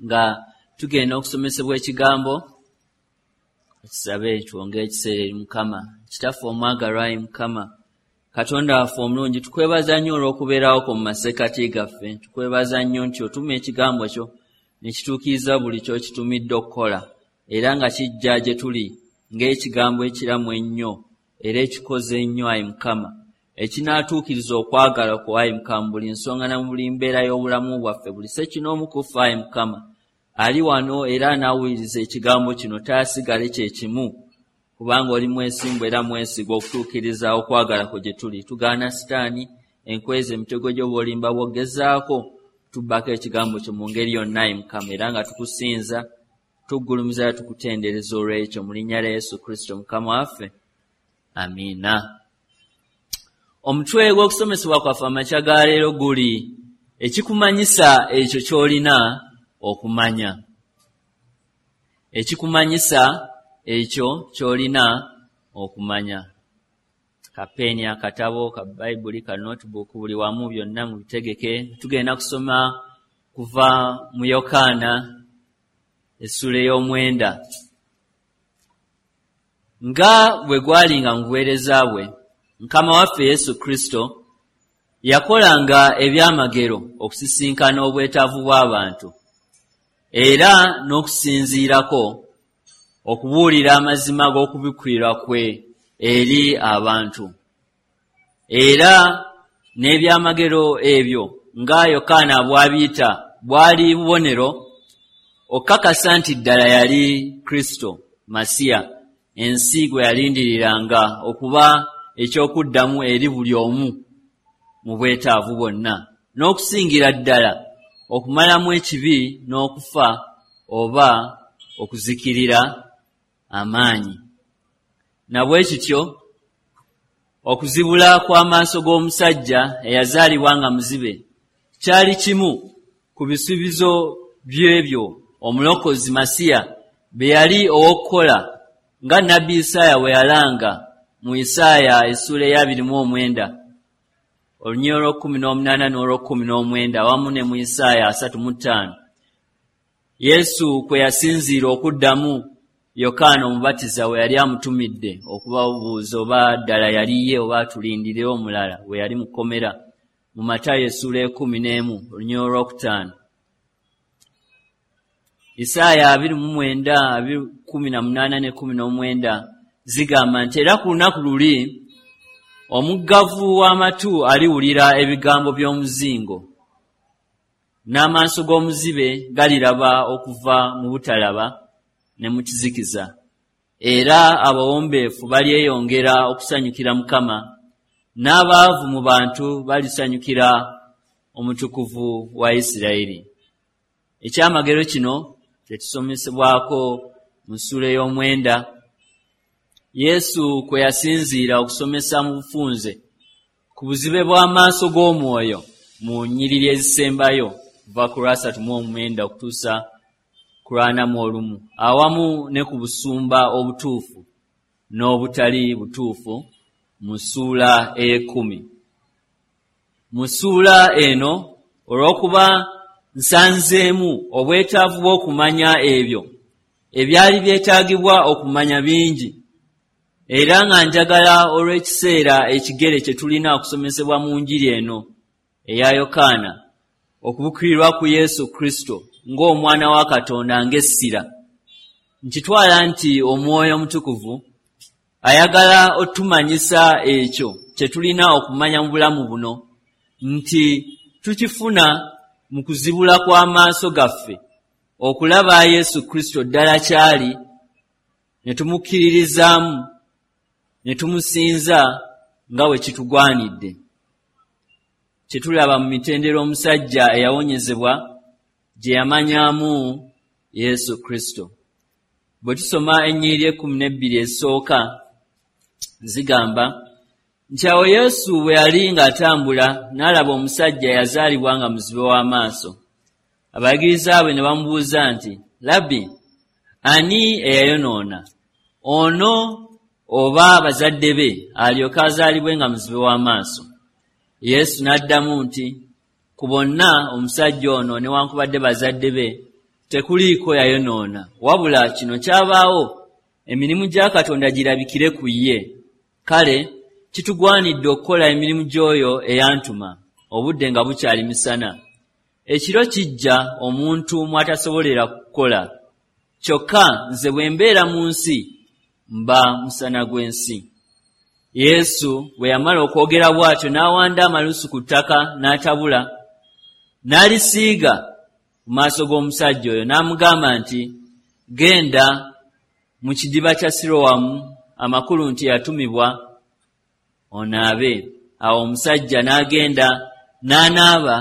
Nga tugenda okusomesebwa ekigambo, tusabe twongere ekiseera eri Mukama. Kitaffe omwagalwa, ayi Mukama Katonda waffe omulungi, tukwebaza nnyo olw'okubeerawo kwo mu masekkati gaffe. Tukwebaza nnyo nti otuma ekigambo kyo ne kituukiriza buli ky'okitumidde okukola, era nga kijja gye tuli ng'ekigambo ekiramu ennyo era ekikoze ennyo, ayi Mukama, ekinaatuukiriza okwagala kwo, ayi Mukama, mu buli nsonga na mu buli mbeera y'obulamu bwaffe. Buli ssekinoomu ku ffe, ayi Mukama, ali wano era anaawuliriza ekigambo kino taasigale kye kimu, kubanga oli mwesimbu era mwesigwa okutuukiriza okwagala kwo gye tuli. Tugaana Sitaani, enkweza, emitego gy'obulimba bw'ogezaako tubbako ekigambo kyo mu ngeri yonna, ayi Mukama, era nga tukusinza, tuggulumiza era tukutendereza olw'ekyo mu linnya lya Yesu Kristo Mukama waffe, amiina. Omutwe gw'okusomesebwa kwaffe amakya ga leero guli ekikumanyisa ekyo ky'olina okumanya. Ekikumanyisa ekyo ky'olina okumanya. Kapeeni, akatabo ka Bayibuli, ka notebook, buli wamu byonna mubitegeke. Tugenda kusoma kuva mu Yokaana essula ey'omwenda. Nga bwe gwalinga mu buweereza bwe, Mukama waffe Yesu Kristo yakolanga ebyamagero okusisinkana obwetaavu bw'abantu era n'okusinziirako okubuulira amazima g'okubikkulirwa kwe eri abantu. Era n'ebyamagero ebyo nga Yokaana bw'abiyita bwali bubonero okukakasa nti ddala yali Kristo Masiya, ensi gwe yalindiriranga okuba eky'okuddamu eri buli omu mu bwetaavu bwonna, n'okusingira ddala okumalamu ekibi n'okufa oba okuzikirira amaanyi. Na bwe kityo okuzibula kw'amaaso g'omusajja eyazaalibwa nga muzibe kyali kimu ku bisuubizo by'ebyo omulokozi Masiya bye yali ow'okukola, nga nnabbi Isaaya bwe yalanga mu Isaaya essuula ey'abiri mu omwenda olunyiriri olw'ekkumi n'omunaana n'olw'ekkumi n'omwenda, awamu ne mu Isaaya 35. Yesu kwe yasinziira okuddamu Yokaana Omubatiza we yali amutumidde okubabuuza oba ddala yali ye oba tulindire omulala, we yali mu kkomera, mu Matayo essuula 11 olunyiriri olwokutaano. Isaaya 29, 18 ne 19 zigamba nti, era ku lunaku luli omuggavu w'amatu aliwulira ebigambo by'omuzingo, n'amaaso g'omuzibe galiraba okuva mu butalaba ne mu kizikiza, era abawombeefu balyeyongera okusanyukira Mukama, n'abaavu mu bantu balisanyukira Omutukuvu wa Isirayiri. Ekyamagero kino kye tusomesebwako mu ssuula ey'omwenda, Yesu kwe yasinziira okusomesa mu bufunze ku buzibe bw'amaaso g'omwoyo mu nnyiriri ezisembayo kuva ku lwasatu mu omwenda okutuusa ku lwana mu olumu, awamu ne ku busumba obutuufu n'obutali butuufu mu ssuula ey'ekkumi. Mu ssuula eno, olw'okuba nsanzeemu obwetaavu bw'okumanya ebyo ebyali byetaagibwa okumanya bingi, era nga njagala olw'ekiseera ekigere kye tulina okusomesebwa mu njiri eno eya Yokaana okubikkulirwa ku Yesu Kristo ng'Omwana wa Katonda ng'essira, nkitwala nti Omwoyo Omutukuvu ayagala otumanyisa ekyo kye tulina okumanya mu bulamu buno, nti tukifuna mu kuzibula kw'amaaso gaffe okulaba Yesu Kristo ddala kyali, ne tumukkiririzaamu ne tumusinza nga bwe kitugwanidde. Kye tulaba mu mitendera omusajja eyawonyezebwa gye yamanyaamu Yesu Kristo. Bwe tusoma ennyiriri 12 ezisooka, zigamba nti, awo Yesu bwe yali ng'atambula n'alaba omusajja eyazaalibwa nga muzibe w'amaaso. Abayigiriza be ne bamubuuza nti, Labbi, ani eyayonoona, ono oba bazadde be, alyoke azaalibwe nga muzibe w'amaaso? Yesu n'addamu nti, ku bonna omusajja ono newankubadde bazadde be Tekuliiko yayonoona, wabula kino kyabaawo emirimu gya Katonda girabikire ku ye. Kale kitugwanidde okukola emirimu gy'oyo eyantuma, obudde nga bukyali misana. Ekiro kijja omuntu mw'atasobolera kukola. Kyokka nze bwe mbeera mu nsi, mba musana gw'ensi. Yesu bwe yamala okwogera bw'atyo n'awanda amalusu ku ttaka n'atabula, n'alisiiga ku maaso g'omusajja oyo, n'amugamba nti, Genda mu kidiba kya Sirowamu, amakulu nti yatumibwa, onaabe. Awo omusajja n'agenda n'anaaba,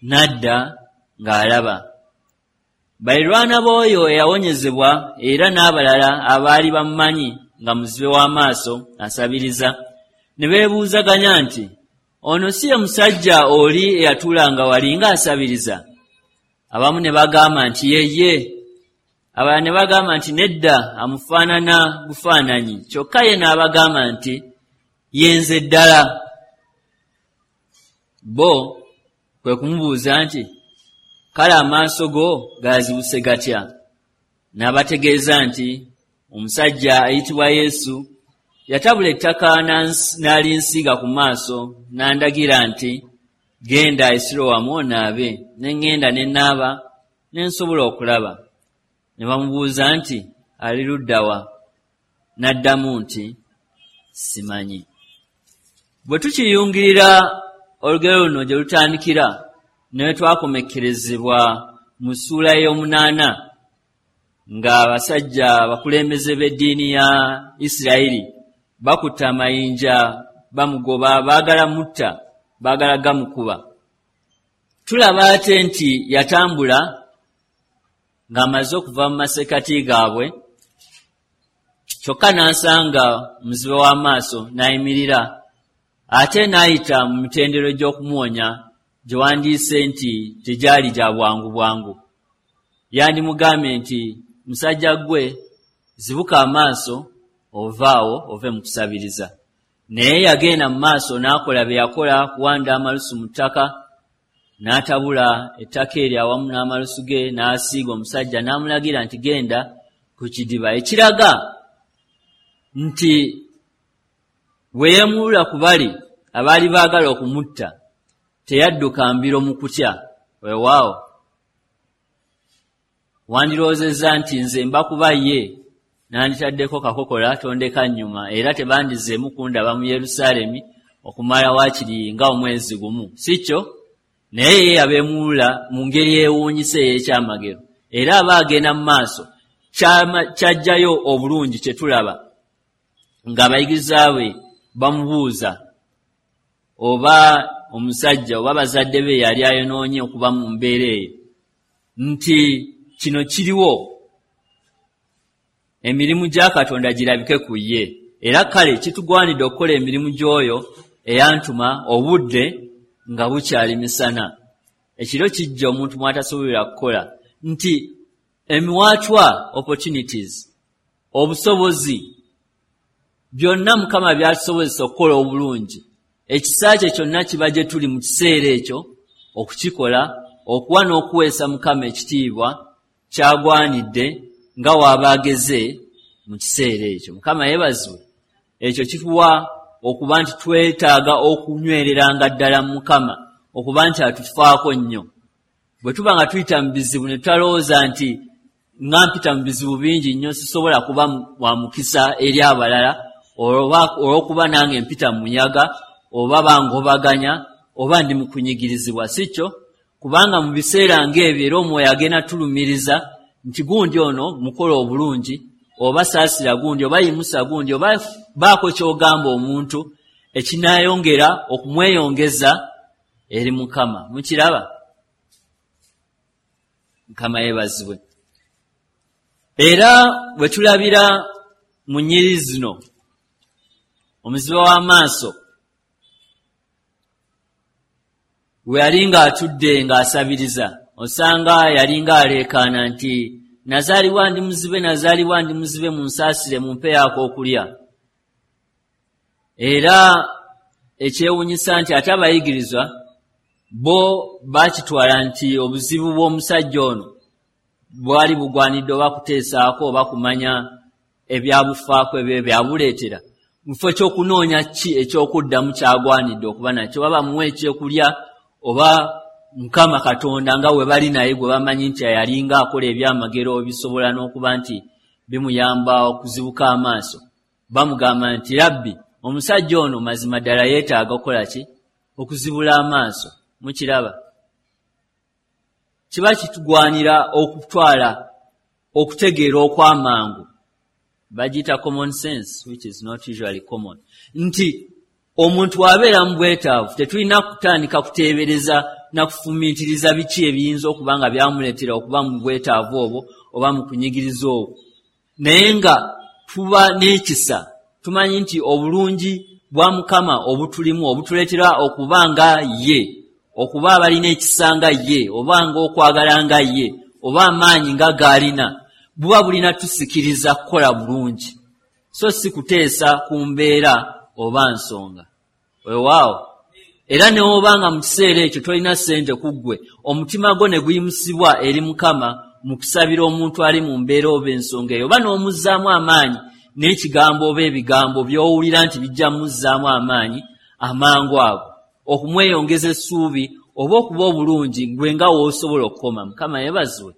n'adda ng'alaba. Balirwana b'oyo eyawonyezebwa era n'abalala abaali bamumanyi nga muzibe w'amaaso asabiriza, ne beebuuzaganya nti, Ono si ye musajja oli eyatuulanga wali ng'asabiriza? Abamu ne bagamba nti, Ye ye. Abalala ne bagamba nti, Nedda, amufaanana bufaananyi. Kyokka ye n'abagamba nti, Ye nze ddala. Bo kwe kumubuuza nti, Kale amaaso go gaazibuse gatya? N'abategeeza nti, Omusajja ayitibwa Yesu yatabula ettaka n'alinsiiga ku maaso, n'andagira nti, Genda e Sirowamu onaabe. Ne ŋŋenda ne naaba, ne nsobola okulaba. Ne bamubuuza nti, Ali ludda wa? N'addamu nti, Simanyi. Bwe tukiyungirira olugero luno gye lutandikira ne we twakomekkerezebwa mu ssuula ey'omunaana, ng'abasajja abakulembeze b'eddiini ya Isirayiri bakutte amayinja bamugoba, baagala mutta, baagala gamukuba. Tulaba ate nti yatambula ng'amaze okuva mu masekkati gaabwe, kyokka n'asanga omuzibe w'amaaso n'ayimirira, ate n'ayita mu mitendero gy'okumuwonya gye wandiise nti tegyali gya bwangu bwangu. Yandimugambye nti, Musajja ggwe, zibuka amaaso ove awo ove mu kusabiriza. Naye yagenda mu maaso n'akola bye yakola, kuwanda amalusu mu ttaka, n'atabula ettaka eryo awamu n'amalusu ge, n'asiiga omusajja, n'amulagira nti, Genda ku kidiba. Ekiraga nti bwe yeemulula ku bali abaali baagala okumutta, teyadduka mbiro mu kutya. Weewaawo, wandirowoozezza nti nze mba kuba ye nanditaddeko kakokola tondeka nnyuma, era tebandizzeemu kundaba mu Yerusaalemi okumala waakiri nga omwezi gumu. Si kyo? Naye ye yabeemulula mu ngeri eyeewuunyisa ey'ekyamagero. Era aba agenda mu maaso, ky'aggyayo obulungi kye tulaba ng'abayigirizwa be bamubuuza oba omusajja oba bazadde be yali ayonoonye okuba mu mbeera eyo, nti kino kiriwo emirimu gya Katonda girabike ku ye. Era kale kitugwanidde okukola emirimu gy'oyo eyantuma obudde nga bukyali misana. Ekiro kijja omuntu mw'atasobolera kukola, nti emiwaatwa, opportunities, obusobozi, byonna Mukama by'atusobozesa okukola obulungi, ekisa kye kyonna kiba gye tuli mu kiseera ekyo okukikola, okuwa n'okuweesa Mukama ekitiibwa ky'agwanidde nga w'aba ageze mu kiseera ekyo. Mukama yeebazibwe. Ekyo kituwa okuba nti twetaaga okunywereranga ddala mu Mukama, okuba nti atufaako nnyo. Bwe tuba nga tuyita mu bizibu ne tutalowooza nti nga mpita mu bizibu bingi nnyo sisobola kuba wa mukisa eri abalala olw'okuba nange mpita mu muyaga oba bangobaganya oba ndi mu kunyigirizibwa, si kyo? Kubanga mu biseera ng'ebyo era Omwoyo agenda tulumiriza nti gundi ono mukola obulungi, oba saasira gundi, oba yimusa gundi, oba baako ky'ogamba omuntu ekinaayongera okumweyongeza eri Mukama. Mukiraba? Mukama yeebazibwe. Era bwe tulabira mu nnyiriri zino, omuzibe w'amaaso we yali ng'atudde ng'asabiriza, osanga yali ng'aleekaana nti, Nazaalibwa ndi muzibe, nazaalibwa ndi muzibe, munsaasire, mumpeeyo ak'okulya. Era ekyewuunyisa nti ate abayigirizwa bo baakitwala nti obuzibu bw'omusajja ono Bwali bugwanidde oba kuteesaako oba kumanya ebyabufaako ebyo byabuleetera, mu kifo ky'okunoonya ki ekyokuddamu kyagwanidde okuba nakyo, oba bamuwe ekyokulya oba Mukama Katonda nga we bali naye gwe bamanyi nti yalinga akola ebyamagero ebisobola n'okuba nti bimuyamba okuzibuka amaaso. Bamugamba nti, Rabbi, omusajja ono mazima ddala yeetaaga okukola ki? Okuzibula amaaso. Mukiraba? Kiba kitugwanira okutwala okutegeera okw'amangu, bagiyita common sense, which is not usually common, nti omuntu bw'abeera mu bwetaavu tetulina kutandika kuteebereza na kufumiitiriza biki ebiyinza okuba nga byamuleetera okuba mu bwetaavu obwo oba mu kunyigiriza okwo, naye nga tuba n'ekisa, tumanyi nti obulungi bwa Mukama obutulimu obutuleetera okuba nga ye, okuba abalina ekisa nga ye, oba ng'okwagala nga ye, oba amaanyi nga g'alina, buba bulina tusikiriza kukola bulungi, so si kuteesa ku mbeera oba nsonga. Weewaawo, era ne woba nga mu kiseera ekyo tolina ssente ku ggwe, omutima gwo ne guyimusibwa eri Mukama mu kusabira omuntu ali mu mbeera oba ensonga eyo, oba n'omuzzaamu amaanyi n'ekigambo oba ebigambo by'owulira nti bijja muzzaamu amaanyi amangu ago, okumweyongeza essuubi oba okuba obulungi gwe nga w'osobola okukoma. Mukama yeebazibwe.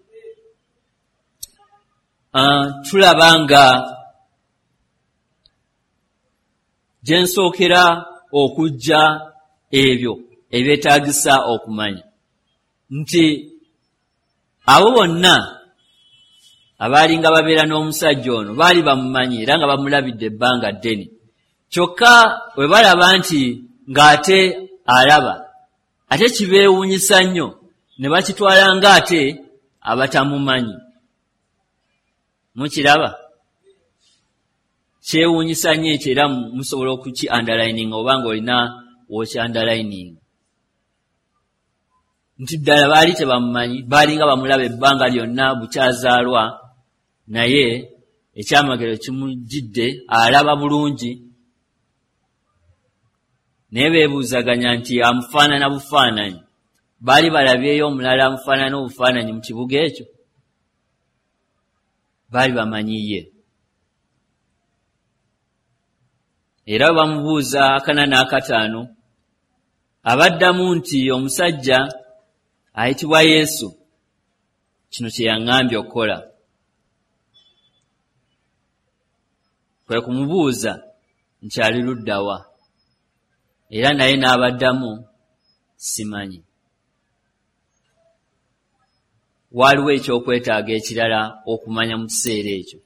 Tulaba nga gye nsookera okujja ebyo ebyetaagisa okumanya nti abo bonna abaalinga babeera n'omusajja ono baali bamumanyi era nga bamulabidde ebbanga ddene, kyokka bwe balaba nti ng'ate alaba, ate kibeewuunyisa nnyo ne bakitwala ng'ate abatamumanyi. Mukiraba? Kyewuunyisa nnyo ekyo, era musobola okuki underlining oba ng'olina w'oki underlining, nti ddala baali tebamumanyi, baalinga bamulaba ebbanga lyonna bukyazaalwa, naye ekyamagero kimujjidde, alaba bulungi, naye beebuuzaganya nti amufaanana bufaananyi. Baali balabyeyo omulala amufaanana obufaananyi mu kibuga ekyo? Baali bamanyi ye. Era bwe bamubuuza 45, abaddamu nti omusajja ayitibwa Yesu kino kye yaŋŋambye okukola. Kwe kumubuuza nti ali ludda wa, era naye n'abaddamu, simanyi. Waaliwo ekyokwetaaga ekirala okumanya mu kiseera ekyo,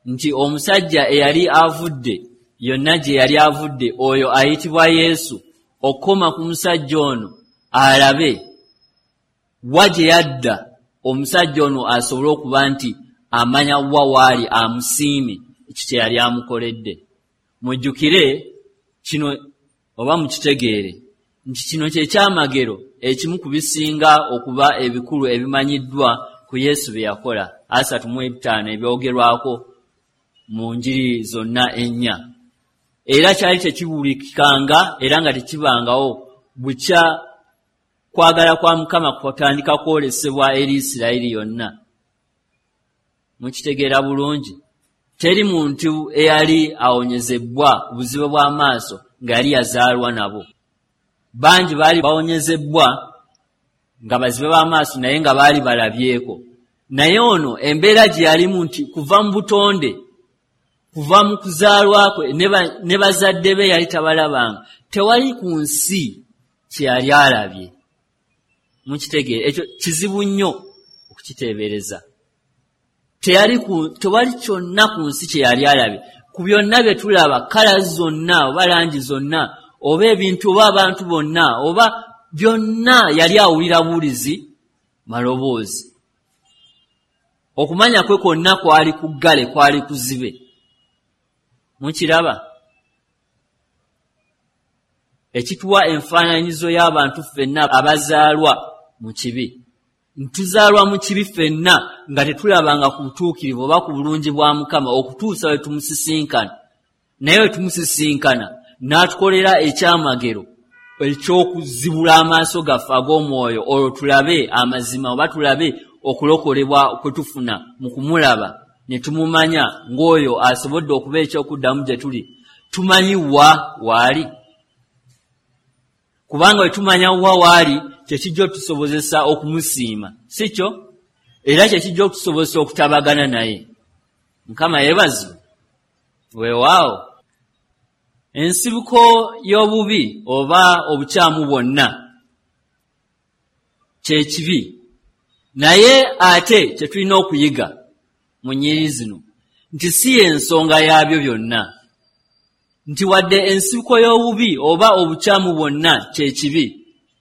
nti omusajja eyali avudde yonna gye yali avudde, oyo ayitibwa Yesu, okukoma ku musajja ono alabe wa gye yadda, omusajja ono asobole okuba nti amanya wa waali, amusiime ekyo kye yali amukoledde. Mujjukire kino oba mukitegeere nti kino kye kyamagero ekimu ku bisinga okuba ebikulu ebimanyiddwa ku Yesu bye yakola, 35 ebyogerwako mu njiri zonna ennya. Era kyali tekiwulikikanga era nga tekibangawo bukya kwagala kwa Mukama kutandika kwolesebwa eri Isirayiri yonna. Mukitegeera bulungi, teri muntu eyali awonyezebbwa buzibe bw'amaaso nga yali yazaalwa nabo. Bangi baali bawonyezebbwa nga bazibe b'amaaso naye nga baali balabyeko, naye ono embeera gye yalimu nti kuva mu butonde, kuva mu kuzaalwa kwe ne bazadde be yali tabalabanga, tewali ku nsi kye yali alabye. Mukitegeera ekyo kizibu nnyo okukiteebereza. Tewali kyonna ku nsi kye yali alabye. Ku byonna bye tulaba, kala zonna oba langi zonna oba ebintu oba abantu bonna oba byonna, yali awulira buwulizi maloboozi. Okumanya kwe kwonna kwali kuggale, kwali kuzibe. Mukiraba? Ekituwa enfaananyizo y'abantu ffenna abazaalwa mu kibi. Ntuzaalwa mu kibi ffenna nga tetulabanga ku butuukirivu oba ku bulungi bwa Mukama okutuusa we tumusisinkana. Naye we tumusisinkana n'atukolera ekyamagero eky'okuzibula amaaso gaffe ag'omwoyo, olwo tulabe amazima oba tulabe okulokolebwa kwe tufuna mu kumulaba ne tumumanya ng'oyo asobodde okuba ekyokuddamu gye tuli, tumanyi wa waali. Kubanga bwe tumanya wa waali, kyekijja otusobozesa okumusiima, si kyo? Era kyekijja okutusobozesa okutabagana naye. Mukama yeebazibwe. Weewaawo, ensibuko y'obubi oba obukyamu bwonna kye kibi. Naye ate kye tulina okuyiga mu nnyiriri zino nti si y'ensonga yaabyo byonna, nti wadde ensibuko y'obubi oba obukyamu bwonna kye kibi,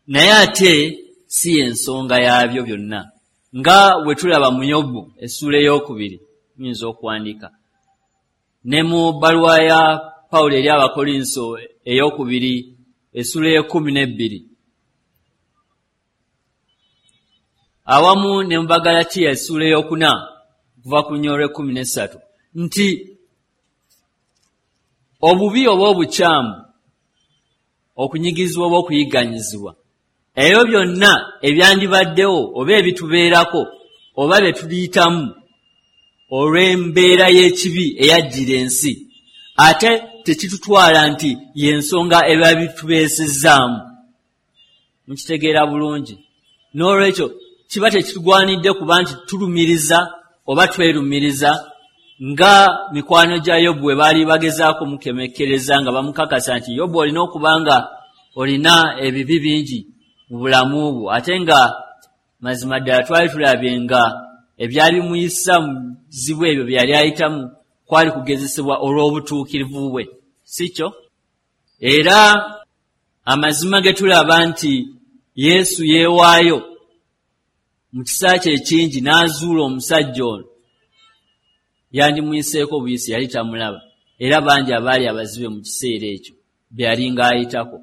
naye ate si y'ensonga yaabyo byonna, nga bwe tulaba mu Yobu essuula 2, muyinza okuwandiika, ne mu bbaluwa ya Pawulo eri Abakolinso 2 essuula 12, awamu ne mu Bagalatiya essuula 4 okuva ku lunyiriri 13, nti obubi oba obukyamu, okunyigirizibwa oba okuyigganyizibwa, ebyo byonna ebyandibaddewo oba ebitubeerako oba bye tuliyitamu olw'embeera y'ekibi eyajjira ensi, ate tekitutwala nti y'ensonga eba bitubeesezzaamu. Mukitegeera bulungi? N'olwekyo kiba tekitugwanidde kuba nti tulumiriza oba twerumiriza nga mikwano gya Yobu bwe baali bagezaako mukemekkereza nga bamukakasa nti Yobu olina okuba nga olina ebibi bingi mu bulamu bwo, ate nga mazima ddala twali tulabye nga ebyali bimuyisa mu bizibu ebyo bye yali ayitamu kwali kugezesebwa olw'obutuukirivu bwe, si kyo? Era amazima ge tulaba nti Yesu yeewaayo mu kisa kye ekingi n'azuula omusajja ono, yandimuyiseeko buyisi, yali tamulaba. Era bangi abaali abazibe mu kiseera ekyo be yali ng'ayitako,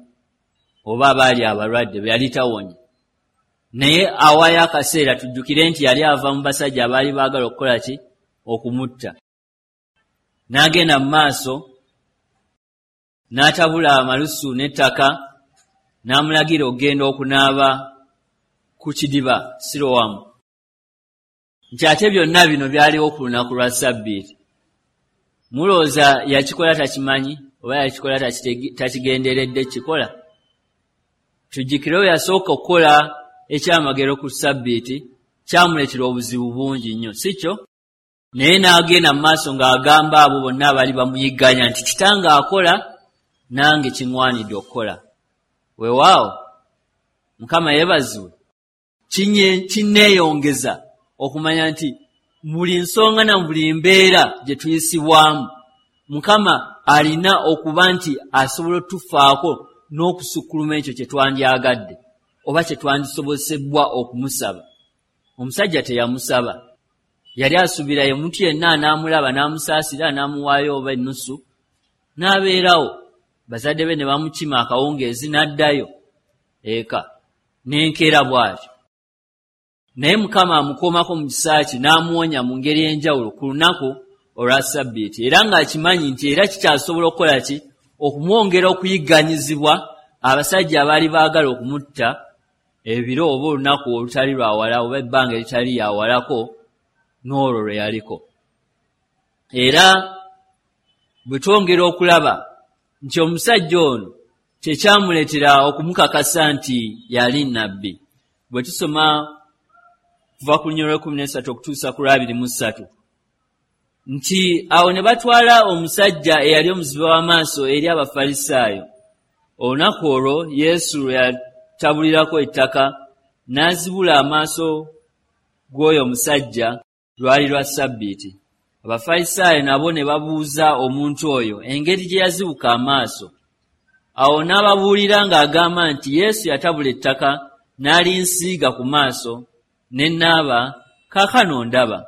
oba abaali abalwadde be yali tawonya. Naye awaayo akaseera, tujjukire nti yali ava mu basajja abaali baagala okukola ki? Okumutta. N'agenda mu maaso n'atabula amalusu n'ettaka, n'amulagira okugenda okunaaba ku kidiba Sirowamu, nti ate byonna bino byaliwo ku lunaku lwa Ssabbiiti. Mulowooza yakikola takimanyi oba yakikola takigenderedde kikola? Tujjukire we yasooka okukola ekyamagero ku Ssabbiiti, kyamuleetera obuzibu bungi nnyo, si kyo? Naye n'agenda mu maaso ng'agamba abo bonna abaali bamuyigganya nti kitange akola, nange kiŋŋwanidde okukola. Weewaawo, Mukama yeebazibwe. Kinneeyongeza okumanya nti buli nsonga na buli mbeera gye tuyisibwamu, Mukama alina okuba nti asobola otufaako n'okusukkuluma ekyo kye twandyagadde oba kye twandisobozesebwa okumusaba. Omusajja teyamusaba, yali asuubira ye muntu yenna anaamulaba n'amusaasira n'amuwaayo oba ennusu n'abeerawo, bazadde be ne bamukima akawungeezi n'addayo eka n'enkeera bw'atyo. Naye Mukama amukoomako mu kisa kye n'amuwonya mu ngeri ey'enjawulo ku lunaku olwa Ssabbiiti, era ng'akimanyi nti era kikyasobola okukola ki? Okumwongera okuyigganyizibwa abasajja abaali baagala okumutta ebiro oba olunaku olutali lwawala oba ebbanga eritali lyawalako n'olwo lwe yaliko. Era bwe twongera okulaba nti omusajja ono kye kyamuleetera okumukakasa nti yali nnabbi, bwe tusoma kuva ku lunyiriri 13 okutuusa ku 23, nti awo ne batwala omusajja eyali omuzibe w'amaaso eri Abafalisaayo. Olunaku olwo Yesu lwe yatabulirako ettaka n'azibula amaaso gw'oyo omusajja lwali lwa Ssabbiiti. Abafalisaayo nabo ne babuuza omuntu oyo engeri gye yazibuka amaaso. Awo n'ababuulira ng'agamba nti Yesu yatabula ettaka n'alinsiiga ku maaso, ne naaba, kaakano ndaba.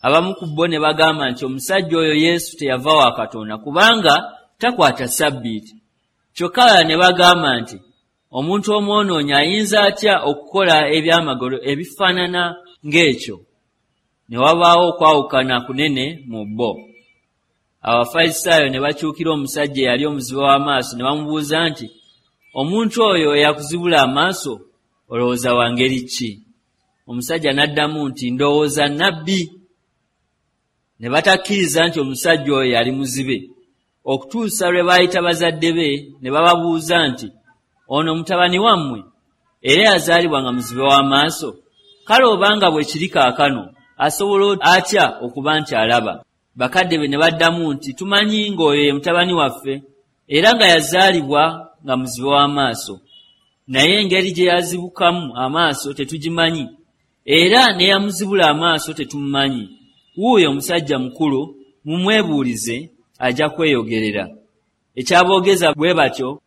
Abamu ku bo ne bagamba nti omusajja oyo Yesu teyava wa Katonda, kubanga takwata Ssabbiiti. Kyokka abalala ne bagamba nti omuntu omwonoonyi ayinza atya okukola ebyamagero ebifaanana ng'ekyo? Ne wabaawo okwawukana kunene mu bo. Abafalisaayo ne bakyukira omusajja eyali omuzibe w'amaaso ne bamubuuza nti, omuntu oyo eyakuzibula amaaso olowooza wa ngeri ki? Omusajja n'addamu nti, ndowooza nnabbi. Ne batakkiriza nti omusajja oyo yali muzibe, okutuusa lwe baayita bazadde be ne bababuuza nti, ono mutabani wammwe era yazaalibwa nga muzibe w'amaaso? Kale obanga bwe kiri kaakano, asobola atya okuba nti alaba? Bakadde be ne baddamu nti, tumanyi ng'oyo ye mutabani waffe, era nga yazaalibwa nga muzibe w'amaaso. Naye engeri gye yazibukamu amaaso tetugimanyi, era ne yamuzibula amaaso tetumumanyi. Wuuyo omusajja mukulu, mumwebuulize, ajja kweyogerera. Ekyaboogeza bwe batyo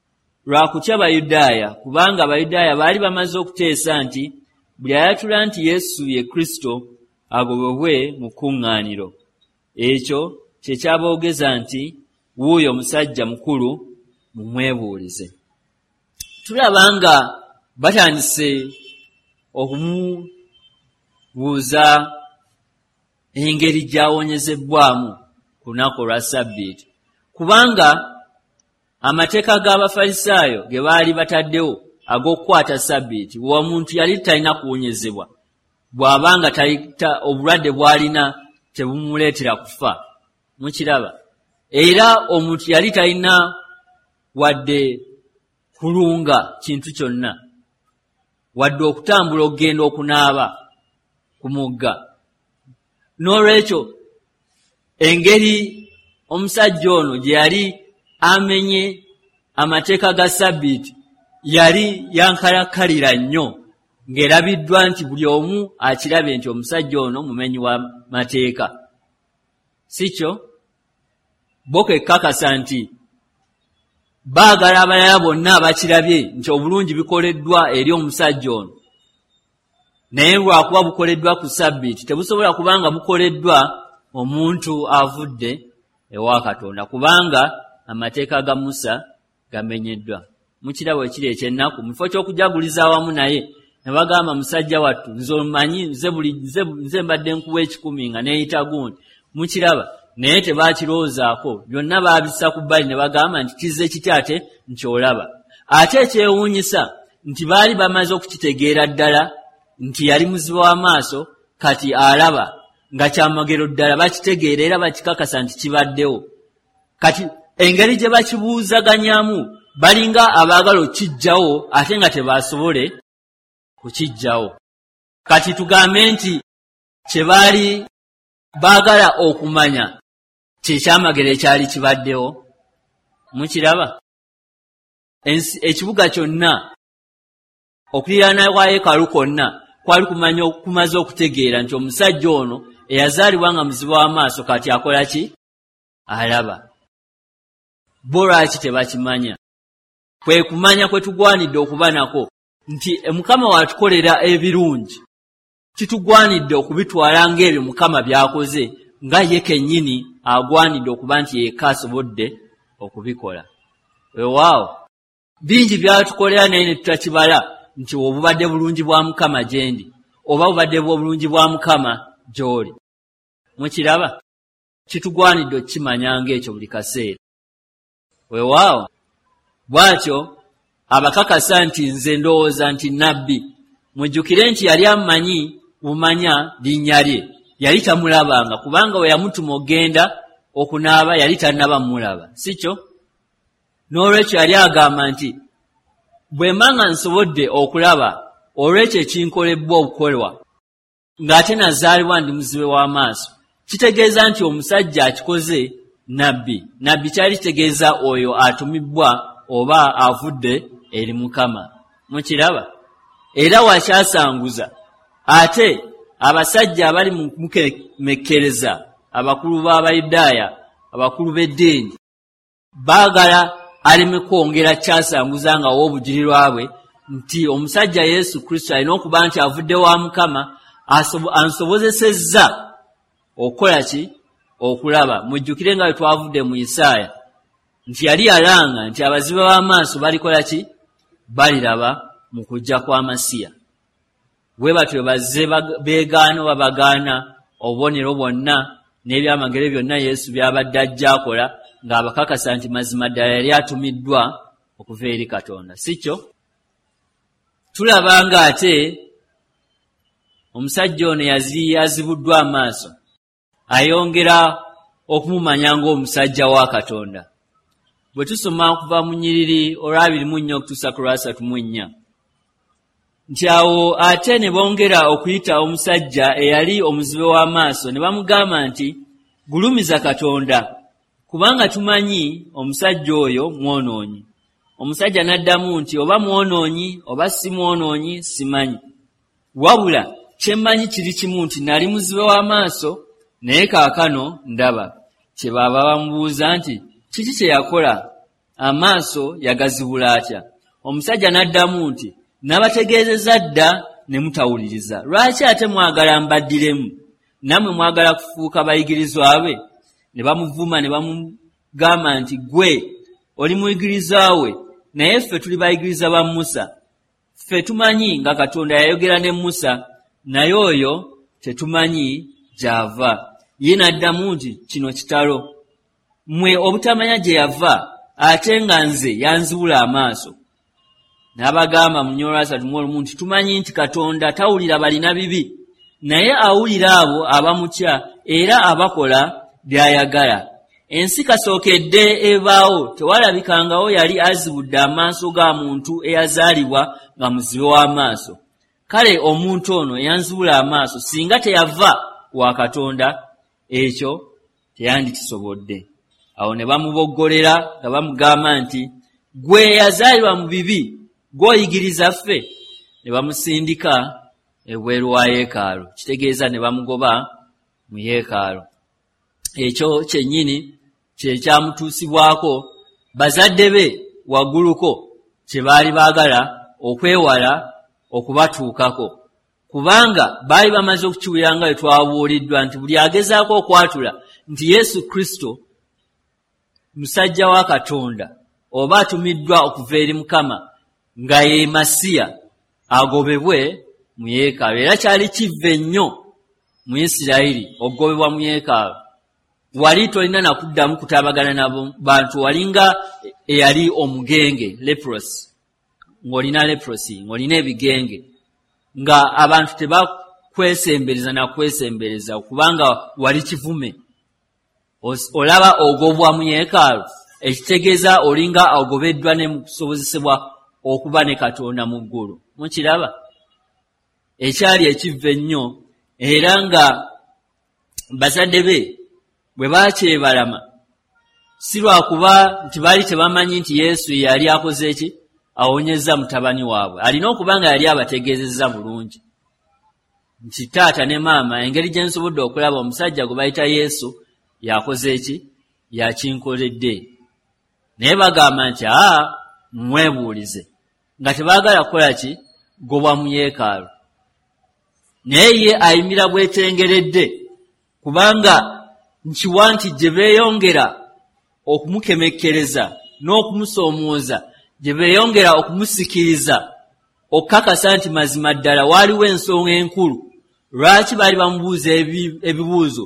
lwa kutya Bayudaaya, kubanga Abayudaaya baali bamaze okuteesa nti buli ayatula nti Yesu ye Kristo agobebwe mu kkuŋŋaaniro. Ekyo kye kyaboogeza nti wuuyo omusajja mukulu, mumwebuulize. Tulaba nga batandise okumubuuza engeri gy'awonyezebbwamu ku lunaku olwa Ssabbiiti, kubanga amateeka g'Abafalisaayo ge baali bataddewo ag'okukwata Ssabbiiti, omuntu yali talina kuwonyezebwa bw'abanga obulwadde bw'alina tebumuleetera kufa. Mukiraba? Era omuntu yali talina wadde kulunga kintu kyonna, wadde okutambula okugenda okunaaba ku mugga. N'olwekyo engeri omusajja ono gye yali amenye amateeka ga Ssabbiiti yali yankalakkalira nnyo, ng'erabiddwa nti buli omu akirabye nti omusajja ono mumenyi wa mateeka. Si kyo? Bo kekkakasa nti baagala abalala bonna abakirabye nti obulungi bikoleddwa eri omusajja ono, naye lwakuba bukoleddwa ku Ssabbiiti tebusobola kubanga bukoleddwa omuntu avudde ewa Katonda, kubanga amateeka ga Musa gamenyeddwa. Mukirabo ekiri eky'ennaku, mu kifo ky'okujaguliza awamu naye ne bagamba, musajja wattu, nze omanyi, nze mbadde nkuwa 1,000 nga neeyita gundi. Mukiraba? Naye tebaakirowoozaako, byonna baabissa ku bbali ne bagamba nti kizze kitya ate nti olaba. Ate ekyewuunyisa nti baali bamaze okukitegeera ddala nti yali muzibe w'amaaso, kati alaba, nga kyamagero ddala bakitegeera era bakikakasa nti kibaddewo. Kati engeri gye bakibuuzaganyamu balinga abaagala okukijjawo ate nga tebasobole kukijjawo. Kati tugambe nti kye baali baagala okumanya kye kyamagero ekyali kibaddewo. Mukiraba? Ekibuga kyonna okuliraana kwa yeekaalu kwonna kwali kumaze okutegeera nti omusajja ono eyazaalibwa nga muzibe w'amaaso kati akola ki? Alaba. Bo lwaki tebakimanya? Kwe kumanya kwe tugwanidde okuba nako nti Mukama watukolera ebirungi, kitugwanidde okubitwala ng'ebyo Mukama by'akoze, nga ye kennyini agwanidde okuba nti yekka asobodde okubikola. Weewaawo, bingi by'atukolera naye ne tutakibala nti obubadde bulungi bwa Mukama gye ndi, oba bubadde obulungi bwa Mukama gy'oli. Mukiraba? Kitugwanidde okukimanya ng'ekyo buli kaseera. Weewaawo, bw'atyo abakakasa nti nze ndowooza nti nnabbi. Mujjukire nti yali amanyi bumanya linnya lye, yali tamulabanga, kubanga we yamutuma okugenda okunaaba yali tannaba mmulaba, si kyo? N'olwekyo yali agamba nti bwe mba nga nsobodde okulaba olw'ekyo ekinkolebbwa okukolwa, ng'ate nazaalibwa ndi muzibe w'amaaso, kitegeeza nti omusajja akikoze nabbi. Nabbi kyali kitegeeza oyo atumibbwa oba avudde eri Mukama. Mukiraba? Era wakyasanguza ate abasajja abali mu mukemekkereza, abakulu b'Abayudaaya, abakulu b'eddiini, baagala aleme kwongera kyasanguza nga w'obujulirwa bwe nti omusajja Yesu Kristo alina okuba nti avudde wa Mukama, ansobozesezza okukola ki? Okulaba. Mujjukire nga bwe twavudde mu Isaaya nti yali yalanga nti abazibe b'amaaso balikola ki? Baliraba mu kujja kwa Masiya. Bwe batyo bazze beegaana oba bagaana obubonero bwonna n'ebyamagero byonna Yesu by'abadde ajja akola, ng'abakakasa nti mazima ddala yali atumiddwa okuva eri Katonda. Si kyo? Tulaba ng'ate Omusajja ono yazibuddwa amaaso, ayongera okumumanya ng'omusajja wa Katonda. Bwe tusoma okuva mu nnyiriri olwa 24 okutuusa ku lwa 34, nti awo ate ne bongera okuyita omusajja eyali omuzibe w'amaaso, ne bamugamba nti, "Gulumiza Katonda, kubanga tumanyi omusajja oyo mwonoonyi." Omusajja n'addamu nti, "Oba mwonoonyi oba si mwonoonyi simanyi, wabula kyemmanyi kiri kimu nti nali muzibe w'amaaso, naye kaakano ndaba." Kyebaava bamubuuza nti, "Kiki kye yakola? Amaaso yagazibula atya?" Omusajja n'addamu nti, "Nabategeezezza dda ne mutawuliriza. Lwaki ate mwagala mbaddiremu? Nammwe mwagala kufuuka bayigirizwa be?" Ne bamuvuma ne bamugamba nti, "Gwe oli muyigirizwa we, naye ffe tuli bayigiriza ba Musa. Ffe tumanyi nga Katonda yayogera ne Musa, naye oyo tetumanyi gy'ava." Ye n'addamu nti, "Kino kitalo, mmwe obutamanya gye yava, ate nga nze yanzibula amaaso." N'abagamba mu 31 nti, "Tumanyi nti Katonda tawulira balina bibi, naye awulira abo abamutya era abakola by'ayagala. Ensi kasookedde ebaawo tewalabikangawo yali azibudde amaaso ga muntu eyazaalibwa nga muzibe w'amaaso. Kale omuntu ono eyanzibula amaaso singa teyava wa Katonda, ekyo teyandikisobodde." Awo ne bamuboggolera nga bamugamba nti, "Gwe yazaalibwa mu bibi, gw'oyigiriza ffe?" Ne bamusindika ebweru wa yeekaalu, kitegeeza ne bamugoba mu yeekaalu. Ekyo kyennyini kye kyamutuusibwako bazadde be wagguluko kye baali baagala okwewala okubatuukako, kubanga baali bamaze okukiwulira nga bwe twabuuliddwa nti buli agezaako okwatula nti Yesu Kristo musajja wa Katonda oba atumiddwa okuva eri Mukama nga ye Masiya, agobebwe mu yeekaalu. Era kyali kivve nnyo mu Isirayiri okugobebwa mu yeekaalu. Wali tolina nakuddamu kutabagana na bantu, walinga eyali omugenge, leprosy, ng'olina leprosy, ng'olina ebigenge, nga abantu tebakwesembereza nakwesembereza kubanga wali kivume. Olaba ogobwa mu yeekaalu, ekitegeeza olinga ogobeddwa ne mu kusobozesebwa okuba ne Katonda mu ggulu. Mukiraba ekyali ekivve ennyo. Era nga bazadde be bwe baakyebalama, si lwakuba nti baali tebamanyi nti Yesu yali akoze ki, awonyezza mutabani waabwe. Alina okuba nga yali abategeezezza bulungi nti, "Taata ne maama, engeri gye nsobodde okulaba, omusajja gwe bayita Yesu yakoze ki, yakinkoledde." Naye bagamba nti, "Aa, mwebuulize," nga tebaagala kukola ki, gobwa mu yeekaalu. Naye ye ayimira bwetengeredde, kubanga nkiwa nti gye beeyongera okumukemekkereza n'okumusoomooza, gye beeyongera okumusikiriza okukakasa nti mazima ddala waaliwo ensonga enkulu lwaki baali bamubuuza ebibuuzo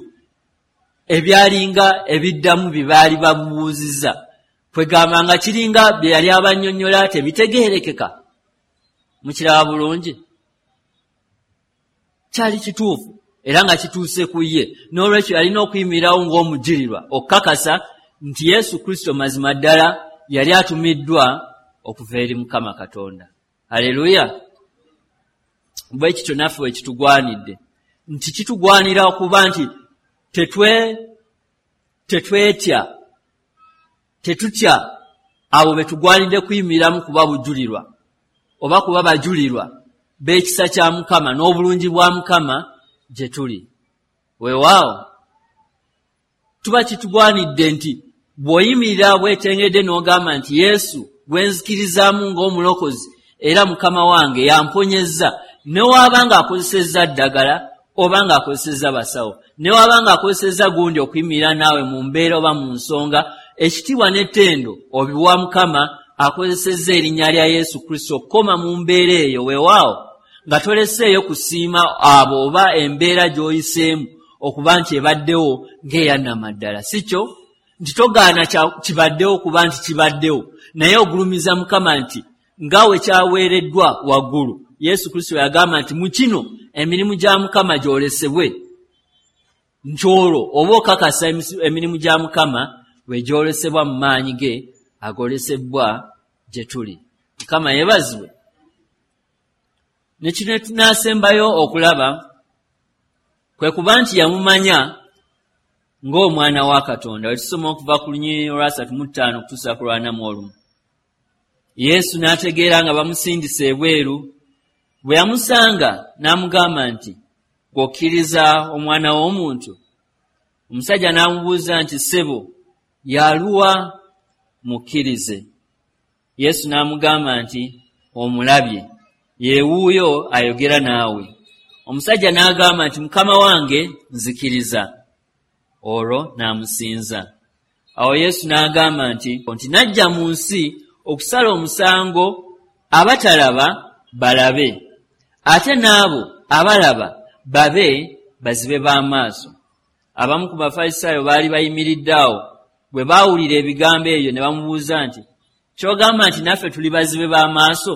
ebyalinga ebiddamu bye baali bamubuuzizza. Kwegamba nga kiringa bye yali abannyonnyola tebitegeerekeka. Mukiraba bulungi, kyali kituufu era nga kituuse ku ye. N'olwekyo yalina okuyimirirawo ng'omujulirwa okukakasa nti Yesu Kristo mazima ddala yali atumiddwa okuva eri Mukama Katonda. Aleluya! Bwe kityo naffe bwe kitugwanidde, nti kitugwanira okuba nti tetwetya, tetutya abo be tugwanidde kuyimiriramu kuba bujulirwa oba kuba bajulirwa b'ekisa kya Mukama n'obulungi bwa Mukama gye tuli. Weewaawo tuba kitugwanidde nti bw'oyimirira bwetengedde n'ogamba nti, "Yesu gwe nzikirizaamu ng'omulokozi era Mukama wange yamponyezza," ne waaba ng'akozesezza ddagala oba ng'akozesezza basawo, ne waaba ng'akozesezza gundi okuyimirira naawe mu mbeera oba mu nsonga, ekitiibwa n'ettendo obiwa Mukama akozesezza erinnya lya Yesu Kristo okukoma mu mbeera eyo. Weewaawo nga toleseeyo kusiima abo oba embeera gy'oyiseemu okuba nti ebaddewo ng'eyannamaddala. Si kyo nti togaana kibaddewo kuba nti kibaddewo, naye ogulumiza Mukama nti nga we kyaweereddwa waggulu. Yesu Kristo yagamba nti mu kino Emirimu gya Mukama gyolesebwe, nti olwo oba okakasa emirimu gya Mukama bwe gyolesebwa mu maanyi ge agolesebwa gye tuli. Mukama yeebazibwe. Ne kino tunaasembayo okulaba kwe kuba nti yamumanya ng'omwana wa Katonda. We tusoma okuva ku lunyiriri olwa 35 okutuusa ku lwa 41. Yesu n'ategeera nga bamusindise ebweru. Bwe yamusanga n'amugamba nti, "Gw'okkiriza omwana w'omuntu?" Omusajja n'amubuuza nti, "Ssebo, y'aluwa mukkirize?" Yesu n'amugamba nti, "Omulabye, ye wuuyo ayogera naawe." Omusajja n'agamba nti, "Mukama wange, nzikiriza." Olwo n'amusinza. Awo Yesu n'agamba nti, "Najja mu nsi okusala omusango, abatalaba balabe, ate n'abo abalaba babe bazibe b'amaaso." Abamu ku Bafalisaayo baali bayimiridde awo. Bwe baawulira ebigambo ebyo ne bamubuuza nti, "Ky'ogamba nti naffe tuli bazibe b'amaaso?"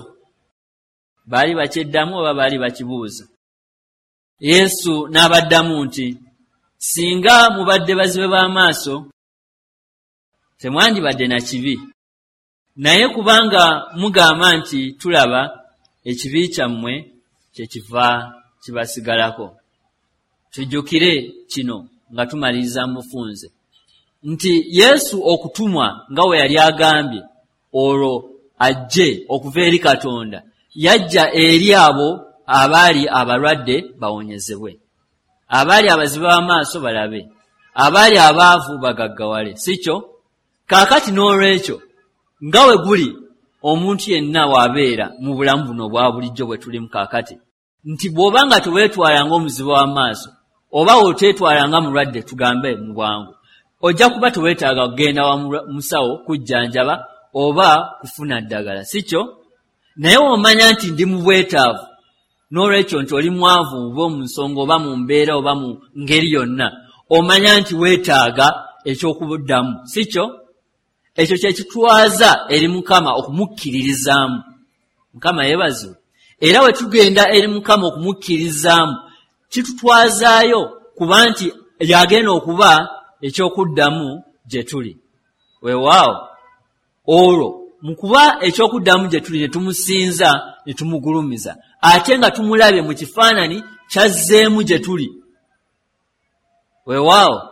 Baali bakyeddamu oba baali bakibuuza? Yesu n'abaddamu nti, "Singa mubadde bazibe b'amaaso, temwandibadde na kibi. Naye kubanga mugamba nti, 'Tulaba,' ekibi kyammwe kyekiva kibasigalako." Tujjukire kino nga tumaliriza mu bufunze nti Yesu okutumwa nga we yali agambye olwo ajje okuva eri Katonda, yajja eri abo abaali abalwadde bawonyezebwe, abaali abazibe b'amaaso balabe, abaali abaavu bagaggawale, si kyo? Kaakati n'olwekyo nga we guli omuntu yenna w'abeera mu bulamu buno obwa bulijjo bwe tulimu kaakati, nti bw'oba nga teweetwala ng'omuzibe w'amaaso oba oteetwala nga mulwadde, tugambe mu bwangu, ojja kuba teweetaaga kugenda wa musawo kujjanjaba oba kufuna ddagala, si kyo? Naye w'omanya nti ndi mu bwetaavu, n'olwekyo nti oli mwavu oba mu nsonga oba mu mbeera oba mu ngeri yonna, omanya nti weetaaga eky'okuddamu, si kyo? Ekyo kye kitwaza eri Mukama okumukkiririzaamu. Mukama yeebazibwe. Era we tugenda eri Mukama okumukkiririzaamu, kitutwazaayo kuba nti yagenda okuba ekyokuddamu gye tuli. Weewaawo, olwo mu kuba ekyokuddamu gye tuli, ne tumusinza ne tumugulumiza, ate nga tumulabye mu kifaananyi kyazzeemu gye tuli. Weewaawo,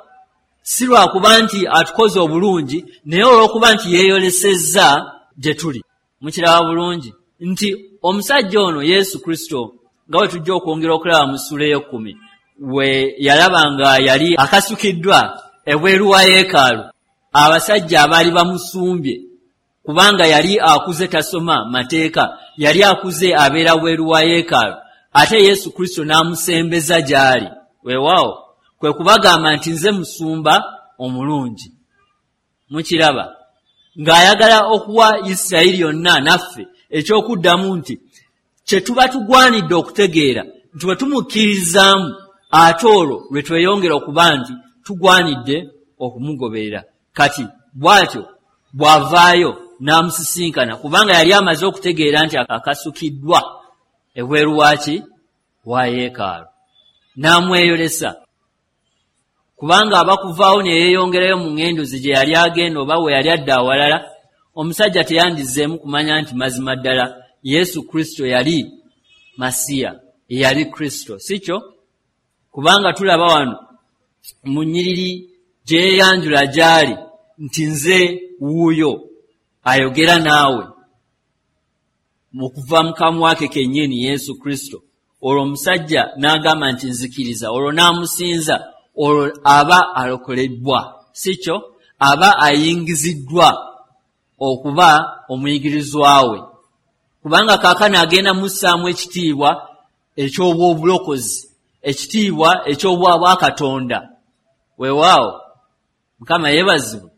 si lwakuba nti atukoze obulungi, naye olw'okuba nti yeeyolesezza gye tuli. Mukiraba bulungi nti omusajja ono Yesu Kristo, nga bwe tujja okwongera okulaba mu ssuula ey'ekkumi, we yalaba nga yali akasukiddwa ebweru wa yeekaalu, abasajja abaali bamusumbye kubanga yali akuze tasoma mateeka, yali akuze abeera bweru wa yeekaalu, ate Yesu Kristo n'amusembeza gy'ali. Weewaawo, kwe kubagamba nti, "Nze musumba omulungi." Mukiraba ng'ayagala okuwa Isirayiri yonna naffe ekyokuddamu nti kye tuba tugwanidde okutegeera nti bwe tumukkirizaamu, ate olwo lwe tweyongera okuba nti tugwanidde okumugoberera. Kati bw'atyo bw'avaayo n'amusisinkana, kubanga yali amaze okutegeera nti akasukiddwa ebweru waaki wa yeekaalu, n'amweyolesa, kubanga aba kuvaawo ne yeeyongerayo mu ŋŋendo ze gye yali agenda oba we yali adda awalala, omusajja teyandizzeemu kumanya nti mazima ddala Yesu Kristo yali Masiya, yali Kristo, si kyo? Kubanga tulaba wano mu nnyiriri gye yeeyanjula gy'ali nti, "Nze wuuyo ayogera naawe," okuva mu kamwa ke kennyini Yesu Kristo. Olwo omusajja n'agamba nti, "Nzikiriza." Olwo n'amusinza. Olwo aba alokolebbwa, si kyo? Aba ayingiziddwa okuba omuyigirizwa we, kubanga kaakano agenda mussaamu ekitiibwa eky'obwobulokozi, ekitiibwa eky'obwabwakatonda. Weewaawo, Mukama yeebazibwe.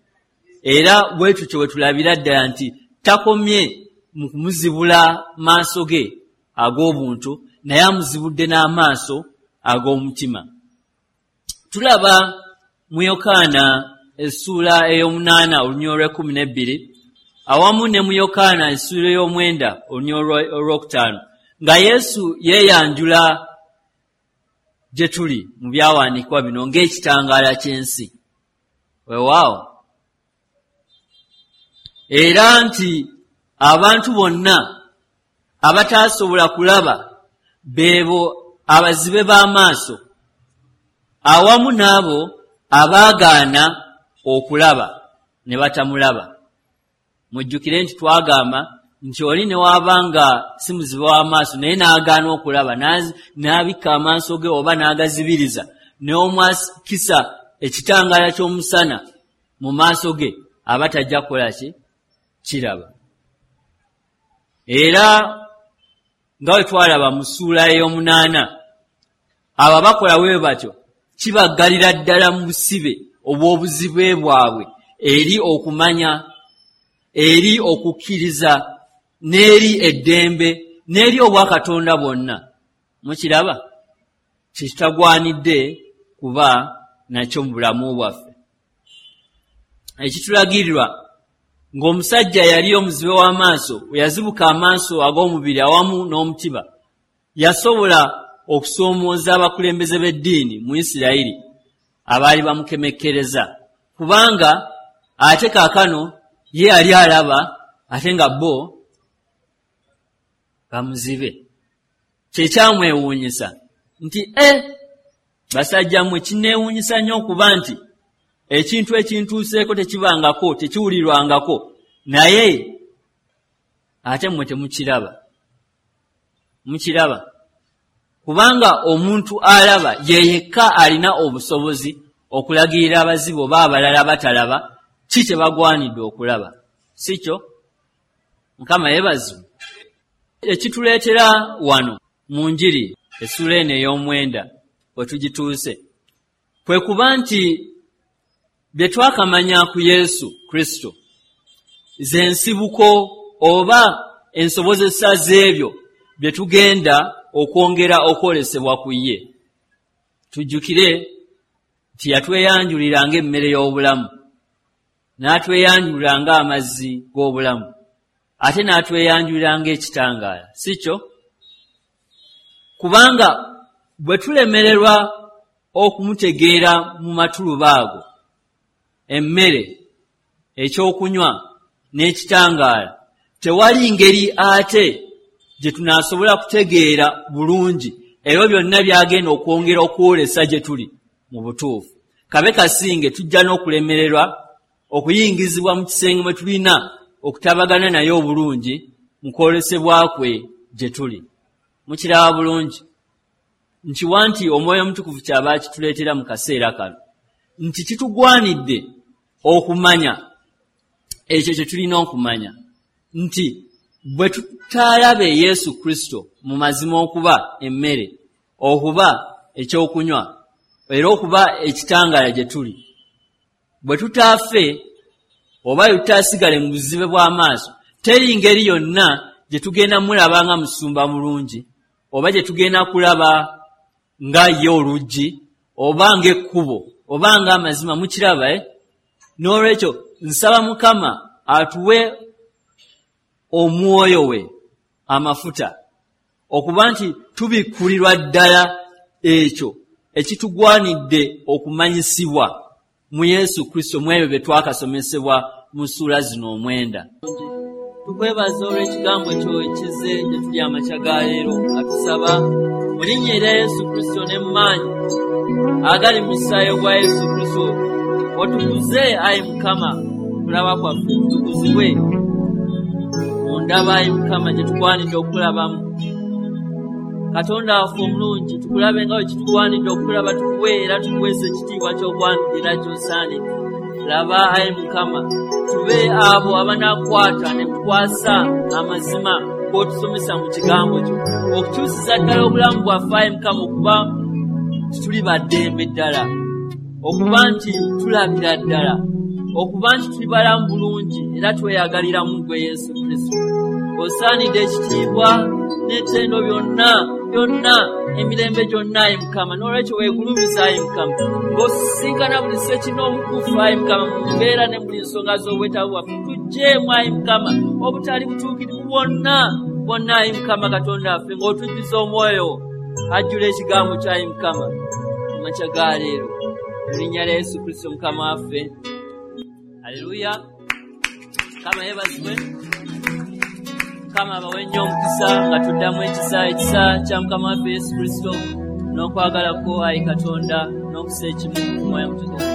Era bwe tutyo bwe tulabira ddala nti takomye mu kumuzibula maaso ge ag'obuntu, naye amuzibudde n'amaaso ag'omutima. Tulaba mu Yokaana essuula ey'omunaana olunyiriri olw'e12, awamu ne mu Yokaana essuula ey'omwenda olunyiriri olwokutaano, nga Yesu yeeyanjula. gye tuli mu byawandiikibwa bino ng'ekitangaala ky'ensi. Weewaawo, era nti abantu bonna abataasobola kulaba beebo abazibe b'amaaso awamu n'abo abaagaana okulaba ne batamulaba. Mujjukire nti twagamba nti oli ne waaba nga si muzibe w'amaaso naye n'agaana okulaba, n'abikka amaaso ge oba n'agazibiriza, n'omwakisa ekitangaala ky'omusana mu maaso ge, aba tajja kukola ki? Kiraba. Era nga bwe twalaba mu ssuula ey'omunaana, abo abakola bwe batyo kibaggalira ddala mu busibe obw'obuzibe bwabwe eri okumanya, eri okukkiriza, n'eri eddembe, n'eri obwakatonda bwonna. Mukiraba? Kyekitagwanidde kuba nakyo mu bulamu bwaffe. Ekitulagirirwa ng'omusajja yali omuzibe w'amaaso bwe yazibuka amaaso ag'omubiri awamu n'omutima, yasobola okusoomooza abakulembeze b'eddiini mu Isirayiri abaali bamukemekkereza, kubanga ate kaakano ye yali alaba ate nga bo bamuzibe. Kyekyamwewuunyisa nti basajja mmwe, kinneewuunyisa nnyo okuba nti ekintu ekintuuseeko tekibangako, tekiwulirwangako, naye ate mmwe temukiraba. Mukiraba? Kubanga omuntu alaba ye yekka alina obusobozi okulagirira abazibe oba abalala batalaba ki kye bagwanidde okulaba, si kyo? Mukama yeebazibwe. Ekituleetera wano mu njiri essuula eno ey'omwenda we tugituuse kwe kuba nti bye twakamanya ku Yesu Kristo ze nsibuko oba ensobozesa z'ebyo bye tugenda okwongera okwolesebwa ku ye. Tujjukire nti yatweyanjulira ng'emmere y'obulamu, n'atweyanjulira ng'amazzi g'obulamu, ate n'atweyanjulira ng'ekitangaala, si kyo? Kubanga bwe tulemererwa okumutegeera mu matuluba ago, emmere, ekyokunywa n'ekitangaala, tewali ngeri ate gye tunaasobola kutegeera bulungi ebyo byonna by'agenda okwongera okwolesa gye tuli mu butuufu. Kabe kasinge tujja n'okulemererwa okuyingizibwa mu kisenge mwe tulina okutabagana naye obulungi mu kwolesebwa kwe gye tuli. Mukiraba bulungi nkiwa nti Omwoyo Omutukuvu kyaba akituleetera mu kaseera kano, nti kitugwanidde okumanya ekyo kye tulina okumanya, nti bwe tutaalabe Yesu Kristo mu mazima okuba emmere, okuba ekyokunywa, era okuba ekitangaala gye tuli, bwe tutaafe oba tutaasigale mu buzibe bw'amaaso, teri ngeri yonna gye tugenda mulaba nga musumba mulungi, oba gye tugenda kulaba nga ye oluggi, oba ng'ekkubo, oba ng'amazima. Mukiraba? N'olwekyo nsaba Mukama atuwe omwoyo we amafuta okuba nti tubikkulirwa ddala ekyo ekitugwanidde okumanyisibwa mu Yesu Kristo mu ebyo bye twakasomesebwa mu ssuula zino omwenda. Tukwebaza olw'ekigambo kyo ekizze gye tuli amakya ga leero, nga tusaba mu linnya erya Yesu Kristo ne mu maanyi agali mu musaayi gwa Yesu Kristo, otukuze ayi Mukama okulaba kwaffe, tutukuzibwe mu ndaba ayi Mukama gye tugwanidde okulabamu. Katonda waffe omulungi, tukulabe nga bwe kitugwanidde okulaba, tukuwe era tukuweesa ekitiibwa ky'ogwanidde era ky'osaanidde. Laba ayi Mukama, tube abo abanaakwata ne tukwasa amazima g'otusomesa mu kigambo kyo, okukyusiza ddala obulamu bwaffe ayi Mukama, okuba tuli ba ddembe ddala, okuba nti tulabira ddala, okuba nti tuli balamu bulungi era tweyagalira mu ggwe Yesu Kristo. Osaanidde ekitiibwa n'ettendo byonna byonna emirembe gyonna ayi Mukama. N'olwekyo weegulumiza ayi Mukama ng'osisinkana buli ssekinnoomu ku ffe ayi Mukama mu mbeera ne buli nsonga z'obwetaavu bwaffe. Tuggyeemu ayi Mukama obutali butuukirivu bwonna bwonna ayi Mukama Katonda waffe, ng'otujjuza omwoyo wo. Ajjula ekigambo kyayi Mukama mu makya ga leero. Mu linnya lya Yesu Kristo Mukama waffe. Aleluya. Mukama yeebazibwe. Mukama abawe nnyo omukisa nga tuddamu ekisa, ekisa kya Mukama waffe Yesu Kristo n'okwagala kwo ayi Katonda n'okusa ekimu mu Mwoyo Mutukuvu.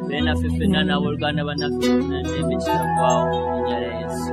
Beere naffe ffenna n'abooluganda bannaffe bonna emirembe kitaggwaawo mu linnya lya Yesu.